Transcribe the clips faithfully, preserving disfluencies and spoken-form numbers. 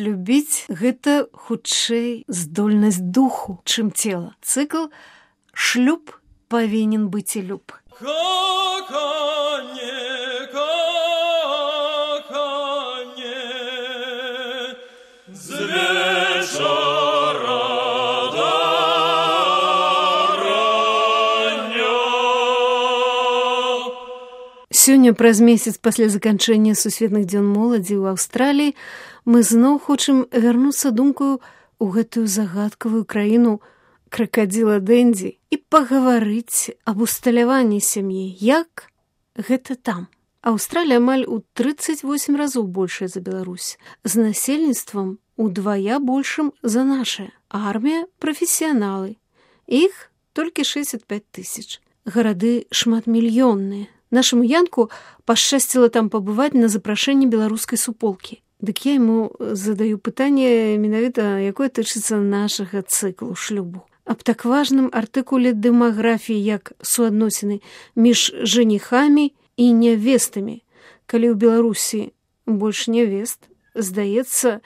Любіць гэта хутчэй здольнасць духу, чым цела. Цыкл «Шлюб павінен быць і люб». Коханье, коханье, з вечора до рання. Сёння, праз месяц пасля заканчэння сусветных дзён моладзі ў Аўстраліі, мы зноў хочам вярнуцца думкаю ў гэтую загадкавую краіну кракадзіла Дэнді і пагаварыць аб усталяванні сям'і. Як гэта там? Аўстралія амаль у трыццаць восем разоў большая за Беларусь, з насельніцтвам удвая большым за нашае. Армія – прафесіяналы. Іх толькі шэсцьдзесят пяць тысяч. Гарады шматмільённыя. Нашаму Янку пашчасціла там пабываць на запрашэнні беларускай суполкі. Дык я яму задаю пытанне менавіта, якое тычыцца нашага цыклу шлюбу. Аб так важным артыкуле дэмаграфіі, як суадносіны між жаніхамі і нявестамі. Калі ў Беларусі больш нявест, здаецца,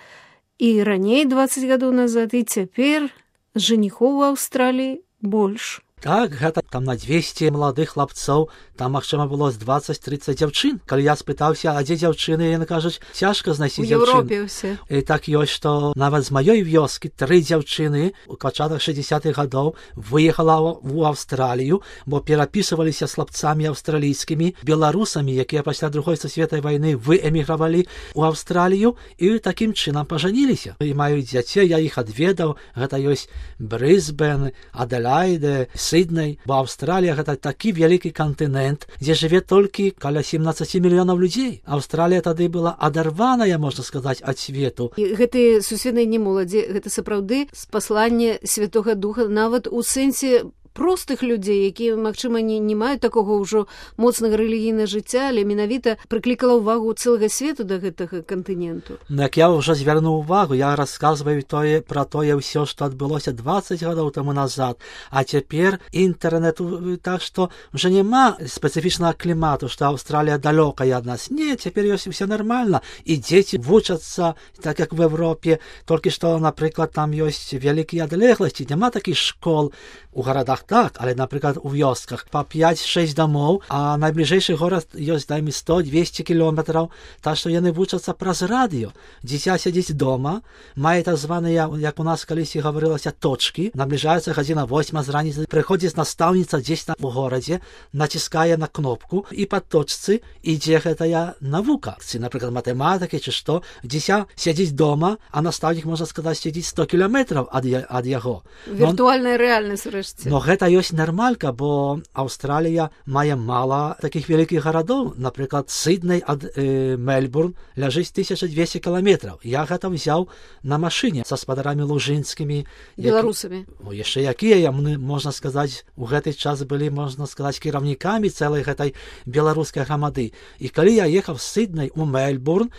і раней дваццаць гадоў назад, і цяпер жаніхоў у Аўстраліі больш. Так, гэта там на двесце маладых хлапцоў, там, магчыма, было з дваццаць-трыццаць дзяўчын. Калі я спытаўся, а дзе дзяўчыны, яны кажуць, цяжка знайсці дзяўчын. У Еўропе ўсе. І так ёсць, што нават з маёй вёскі тры дзяўчыны у пачатках шэсцідзесятых гадоў выехала ў Аўстралію, бо перапісваліся з хлапцамі аўстралійскімі, беларусамі, якія пасля другой сусветнай вайны выэмігравалі ў Аўстралію і такім чынам пажаніліся. І маюць дзяцей, я іх адведаў, гэта ёсць Брысбен, Аделаіде, Сідней, бо Аўстралія гэта такі вялікі кантынент, дзе жыве толькі каля сямнаццаць мільёнаў людзей. Аўстралія тады была адарваная, можна сказаць, ад свету. І гэтыя сусветныя немоладзі, гэта сапраўды спасланне Святога Духа нават у сэнсе простых людзей, якія, магчыма, не, не маюць такога ўжо моцнага рэлігійнага жыцця, але менавіта прыклікала ўвагу цэлага свету да гэтага кантыненту. Ну, як я ўжо звярнуў увагу, я расказваю тое, пра тое ўсё, што адбылося дваццаць гадоў таму назад, а цяпер інтэрнэту, так што ўжо няма спецыфічнага клімату, што Аўстралія далёкая ад нас. Не, цяпер ёсць усё нармальна, і дзеці вучацца, так як в Европе, толькі што, напрыклад, там ёсць вялікія адлегласці, няма такіх школ у гарадах. Так, але, напрыклад, у вёсках па пяць-шэсць дамоў, а найбліжэйшы горад ёсць, дайме, сто-двесце кілометраў, так што яны вучацца праз радыё. Дзіця сядзіць дома, мае так званыя, як у нас калісьці гаварылася, точкі, набліжаецца гадзіна восьма з раніцы, прыходзіць настаўніца дзесь там у горадзе, націскае на кнопку, і па точцы ідзе гэтая навука. Ці, напрыклад, матэматыкі, ці што, дзіця сядзіць дома, а настаўнік, можна сказаць, сядзіць сто кіламетраў ад, ад яго. Віртуальная рэальнасць, рэшце. Но гэта ёсць нармалька, бо Аўстралія мае мала такіх вялікіх гарадоў. Напрыклад, Сідней ад э, Мельбурн ляжыць тысяча двесце кіламетраў. Я гэта ўзяў на машыне са спадарамі лужынскімі. Беларусамі. Які... Яшчэ якія, яны, можна сказаць, у гэты час былі, можна сказаць, кіраўнікамі цэлай гэтай беларускай грамады. І калі я ехаў з Сідней у Мельбурн,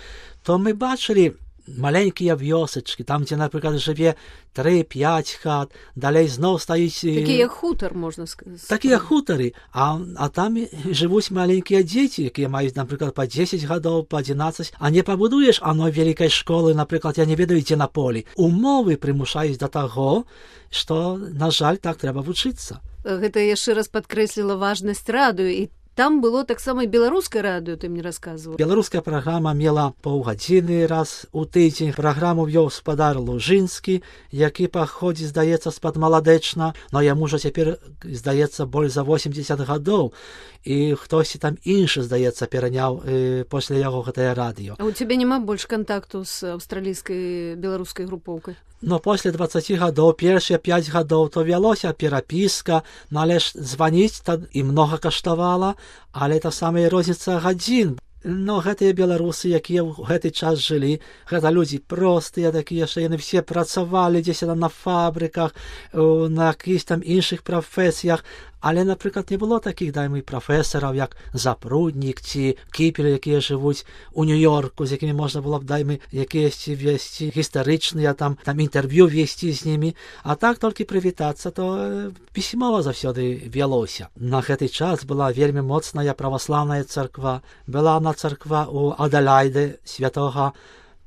то мы бачылі маленькія вёсачкі, там, дзе, напрыклад, жыве тры-пяць хат, далей зноў стаіць... Такія хутар, можна сказаць. Такія хутары, а, а там жывуць маленькія дзеці, якія маюць, напрыклад, па дзесяць гадоў, па адзінаццаць, а не пабудуеш аной вялікай школы, напрыклад, я не ведаю, дзе на полі. Умовы прымушаюць да таго, што, на жаль, так трэба вучыцца. Гэта яшчэ раз падкрэсліла важнасць радыё, і там было таксама і беларускае радыё, ты мне расказваў. Беларуская праграма мела паўгадзіны раз у тыдзень. Праграму вёў спадар Лужынскі, які паходзіць, здаецца, з-пад Маладэчна, но яму ўжо цяпер, здаецца, больш за восемьдесят гадоў. І хтосьці там іншы, здаецца, пераняў э, пасля яго гэтае радыё. А у цябе няма больш кантакту з аўстралійскай беларускай групоўкай? Но пасля дваццаці гадоў, першыя пяць гадоў, то вялося перапіска, но але ж званіць і многа каштавала, але та самая розніца гадзін. Но гэтыя беларусы, якія ў гэты час жылі, гэта людзі простыя такія, што яны все працавалі дзесь там на фабрыках, на якісь там іншых прафесіях, але, напрыклад, не было такіх, дайме, прафесараў, як Запруднік ці Кіпер, якія жывуць у Нью-Йорку, з якімі можна было б, дайме, якіясьці весці гістарычныя, там, там інтэрв'ю весці з німі, а так толькі прывітацца, то пісьмова заўсёды вялося. На гэты час была вельмі моцная праваслаўная царква, была на царква у Аделаіде святога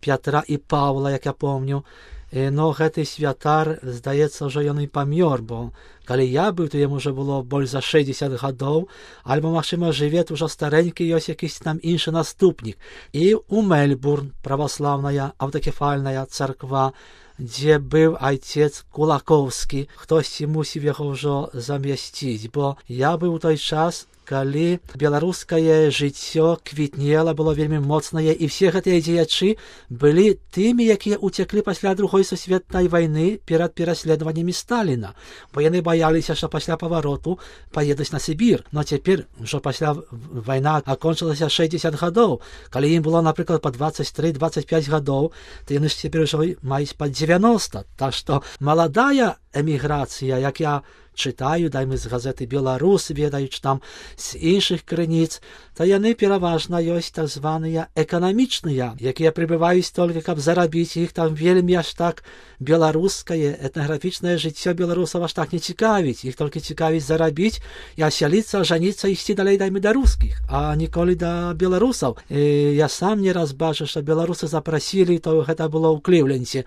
Пятра і Павла, як я помню. Но гэты святар, здаецца, ўжо ён і памёр, бо калі я быў, то яму ўжо было больш за шэсцьдзесят гадоў, альбо, магчыма, жыве ўжо старэнькі, ёсць якісь там іншы наступнік. І у Мельбурн праваслаўная аўтакефальная царква, дзе быў айцец Кулакоўскі. Хтосьці мусіў яго ўжо замясціць, бо я быў у той час, калі беларускае жыццё квітнела, было вельмі моцнае, і все гэтыя дзеячы былі тымі, якія ўцяклі пасля другой сусветнай вайны перад пераследаваннямі Сталіна, бо яны баяліся, што пасля павароту паедуць на Сібір. Но цяпер, ўжо пасля вайна акончылася шэсцьдзесят гадоў, калі ім было, напрыклад, па дваццаць тры дваццаць пяць гадоў, то яны ж цяпер ўжо маюць па дзевяноста. Так што маладая эміграцыя, як я чытаю, дайме з газеты «Беларус», ведаюць там з іншых крыніц, то яны пераважна ёсць так званыя эканамічныя, якія прыбываюць толькі, каб зарабіць. Іх там вельмі аж так беларускае, этнаграфічнае жыццё беларусаў аж так не цікавіць. Іх толькі цікавіць зарабіць і асяліцца, ажаніцца, ісці далей, дайме, да рускіх, а ніколі да беларусаў. І я сам не раз бачу, што беларусы запрасілі, то гэта было ў Клівленце,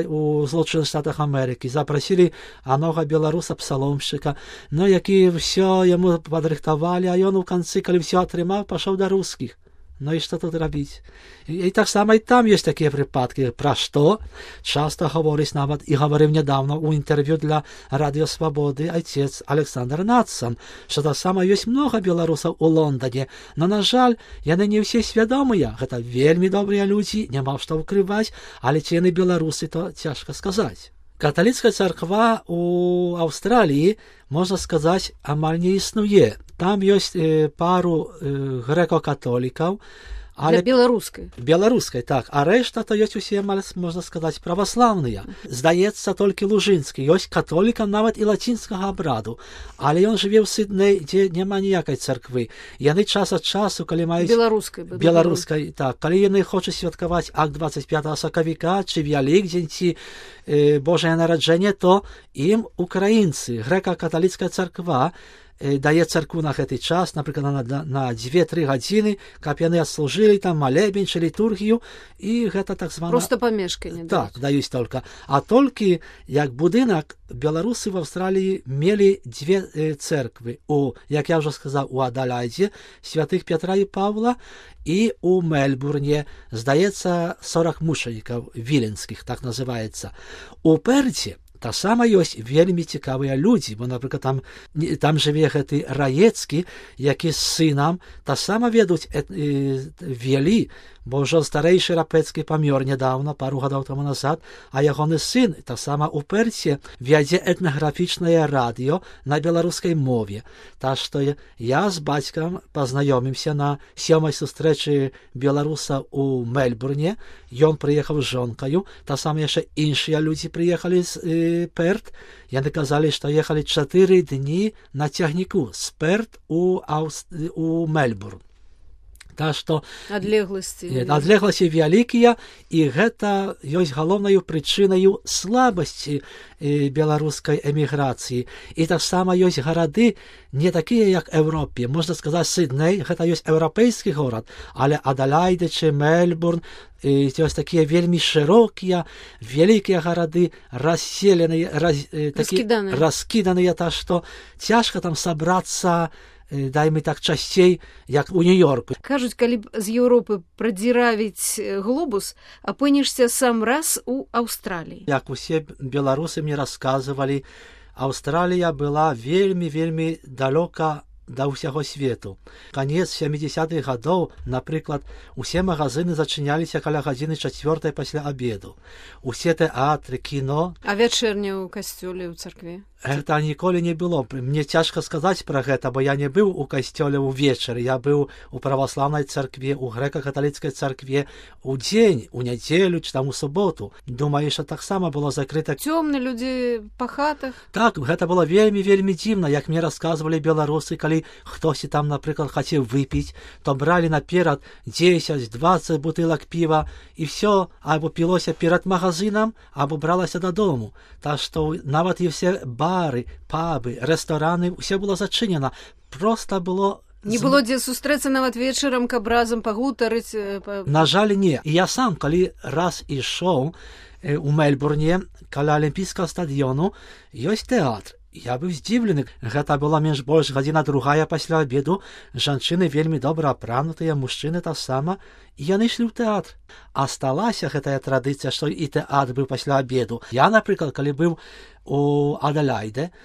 у Злучаных Штатах Амерыкі, запрасілі анога беларуса псаломшчыка, ну, які ўсё яму падрыхтавалі, а ён у канцы, калі ўсё атрымаў, пашоў да рускіх. Ну і што тут рабіць? І, і так само і там ёсць такія прыпадкі, пра што часта гаворыць, нават і гаварыў нядаўна ў інтэрв'ю для Радыё Свабоды айцец Александр Нацсан, што так само ёсць многа беларусаў у Лондане, но, на жаль, яны не ўсе свядомыя. Гэта вельмі добрыя людзі, няма што ўкрываць, але ці яны беларусы, то цяжка сказаць. Каталіцкая царква у Аўстраліі, можна сказаць, амаль не існуе. Там ёсць э, пару э, грэко-католікаў, але для беларускай. Беларускай, так. А рэшта то ёсць усе, можна сказаць, праваслаўныя. Здаецца, толькі Лужынскі. Ёсць католікам нават і лацінскага абраду. Але ён жыве ў Сідней, дзе няма ніякай царквы. Яны час ад часу, калі маюць... Беларускай. Беларускай, так. Калі яны хочуць святкаваць акт дваццаць пятага сакавіка, ці Вялікдзень, ці э, Божае нараджэнне, то ім украінцы, грэка-каталіцкая царква, дае царкву на гэты час, напрыклад, на, на дзве-тры гадзіны, каб яны адслужылі там малебень чи літургію, і гэта так звана... Просто памешканне. Так, даюць толькі. А толькі, як будынак, беларусы в Аўстраліі мелі дзве э, церквы. У, як я ўжо сказаў, у Адаляйдзе, святых Пятра і Павла, і у Мельбурне, здаецца, сорок мучанікаў віленскіх, так называецца. У Перце таксама ёсць вельмі цікавыя людзі, бо, напрыклад, там, там жыве гэты Раецкі, які з сынам таксама ведуць э, э, вели, бо ўжо старэйшы Рапецкі памёр нядаўна, пару гадоў таму назад, а ягоны сын таксама ў Перце вядзе этнаграфічнае радыё на беларускай мове. Так што я з бацькам пазнаёмімся на сёмай сустрэчы беларуса ў Мельбурне. Ён прыехаў з жонкаю, таксама яшчэ іншыя людзі прыехалі з э, Перт. Яны казалі, што ехалі чатыры дні на цягніку з Перт у, Аус... у Мельбурн. Так што адлегласці адлегласці вялікія, і гэта ёсць галоўнаю прычынаю слабасці беларускай эміграцыі. І таксама ёсць гарады не такія, як Еўропе. Можна сказаць, Сідней гэта ёсць еўрапейскі горад, але Адаляйда чи Мельбурн ёсць такія вельмі шырокія, вялікія гарады, расселеныя, раз, такі, раскіданыя. раскіданыя, так што цяжка там сабрацца, дайме так часцей, як у Нью-Йорку. Кажуць, калі б з Еўропы прадзіравіць глобус, апынешся сам раз у Аўстраліі. Як усе беларусы мне расказвалі, Аўстралія была вельмі-вельмі далёка да ўсяго свету. Канец сямідзесятых гадоў, напрыклад, усе магазыны зачыняліся каля гадзіны чацвёртай пасля абеду. Усе тэатры, кіно... А вячэрня ў касцёле, ў царкве? Гэта ніколі не было. Мне цяжка сказаць пра гэта, бо я не быў у касцёле ўвечары. Я быў у праваслаўнай царкве, у грэка-каталіцкай царкве у дзень, у нядзелю, чи там у суботу. Думаю, што таксама было закрыта. Цёмны людзі па хатах? Так, гэта было вельмі-вельмі дзіўна, як мне расказвалі беларусы, калі хтосьці там, напрыклад, хацеў выпіць, то бралі наперад дзесяць-дваццаць бутылак піва, і все або пілося перад магазынам, або бралася дадому. Так што нават і все бары, пабы, рэстараны, ўсё было зачынена. Проста было Не было дзе сустрэцца нават вечарам, каб разам пагутарыць? Па... На жаль, не. І я сам, калі раз ішоў у Мельбурне, каля Алімпійскага стадыёну, ёсць тэатр. Я быў здзіўлены. Гэта была менш-больш гадзіна другая пасля абеду. Жанчыны вельмі добра апранутыя, мужчыны таксама. І яны ішлі ў тэатр. Асталася гэтая традыцыя, што і тэатр быў пасля абеду. Я, напрыклад, калі быў у Аделяйде,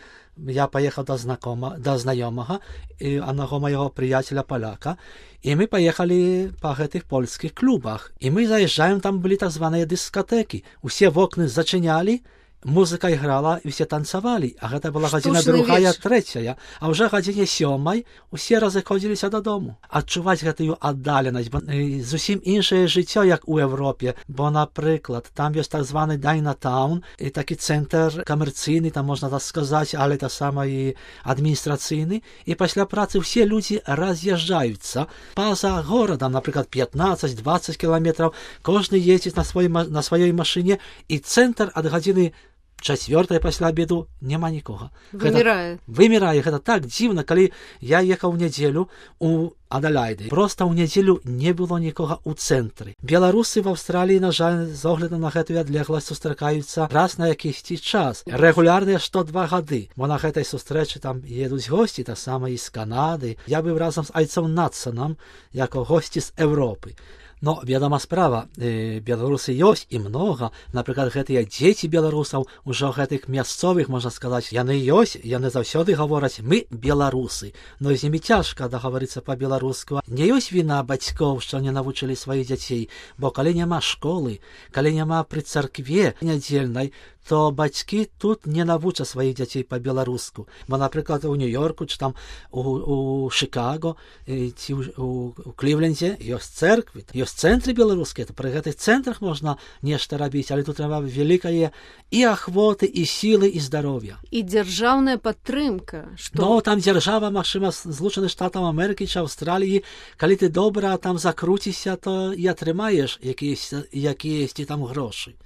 я паехаў да знакома, да знаёмага, і аднаго майго прыяцеля паляка, і мы паехалі па гэтых польскіх клубах. І мы заязджаем, там былі так званыя дыскатэкі. Усе вокны зачынялі, музыка іграла, і ўсе танцавалі, а гэта была гадзіна другая, трэцяя, а ўжо гадзіне сёмай усе разыходзіліся дадому. Адчуваць гэтую аддаленасць, бо зусім іншае жыццё, як у Европе, бо, напрыклад, там ёсць так званы Дайнатаун, і такі цэнтр камерцыйны, там можна так сказаць, але таксама і адміністрацыйны, і пасля працы ўсе людзі раз'язджаюцца па-за горадам, напрыклад, пятнаццаць-дваццаць кіламетраў, кожны ездзіць на сваёй, на сваёй машыне, і цэнтр ад гадзіны чацвёртай пасля абеду няма нікога. Вымірае. Гэта, вымірае. Гэта так дзіўна, калі я ехаў у нядзелю у Аделяйде. Проста ў нядзелю не было нікога ў цэнтры. Беларусы в Аўстраліі, на жаль, з огляду на гэтую адлегласць сустракаюцца раз на якісьці час. Рэгулярныя што два гады. Бо на гэтай сустрэчы там едуць госці, таксама і з Канады. Я быў разам з айцом Надсонам, як госці з Европы. Но, вядома справа, э, беларусы ёсць і многа. Напрыклад, гэтыя дзеці беларусаў, ужо гэтых мясцовых, можна сказаць, яны ёсць, яны заўсёды гавораць, мы беларусы. Но з імі цяжка дагаварыцца па-беларуску. Не ёсць віна бацькоў, што не навучылі сваіх дзяцей, бо калі няма школы, калі няма пры царкве нядзельнай, то бацькі тут не навучаць сваіх дзяцей па-беларуску. Бо, напрыклад, у Нью-Йорку, чи там у, у Шикаго, ці у, у, у Клівленде ёсць церквы, ёсць цэнтры беларускія, то пры гэтых цэнтрах можна нешта рабіць, але тут трэба вялікае і ахвоты, і сілы, і здароўя. І дзяржаўная падтрымка. Што... Ну, там дзяржава, магчыма, Злучаных Штатаў Амерыкі ці Аўстраліі, калі ты добра там закруціся, то і атрымаеш якіясьці там грошы.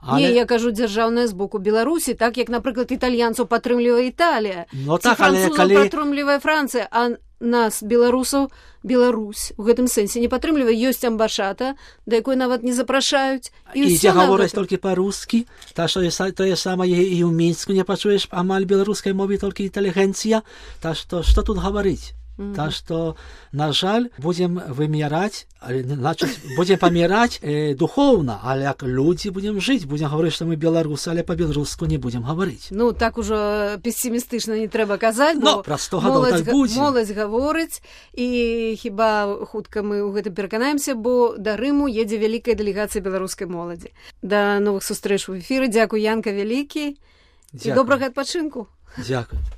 Але... Не, я кажу дзяржаўная з боку Беларусі, так як, напрыклад, італьянцаў падтрымлівае Італія, ну, ці так, французаў калі... падтрымлівае Францыя, а нас, беларусаў, Беларусь у гэтым сэнсе не падтрымлівае. Ёсць амбашата, да якой нават не запрашаюць. І дзе гавораць толькі па-рускі, та што тое самае і ў Мінску не пачуеш амаль беларускай мовы, толькі інтэлігенцыя, та што, што тут гаварыць? Mm-hmm. Так что, на жаль, будем вымирать, значит, будем помирать э, духовно, а як люди будем жить, будем говорить, что мы белорусы, але по-белоруску не будем говорить. Ну, так уже пессимистично не треба казать, но про сто гадоў так будзе. Моладзь гаворыць, і хіба хутка мы ў гэтым пераканаемся, бо да Рыму едзе вялікая дэлегацыя беларускай моладзі. Да новых сустрэч у эфіры. Дзякуй, Янка, вялікі. І добрага адпачынку. Дзякуй.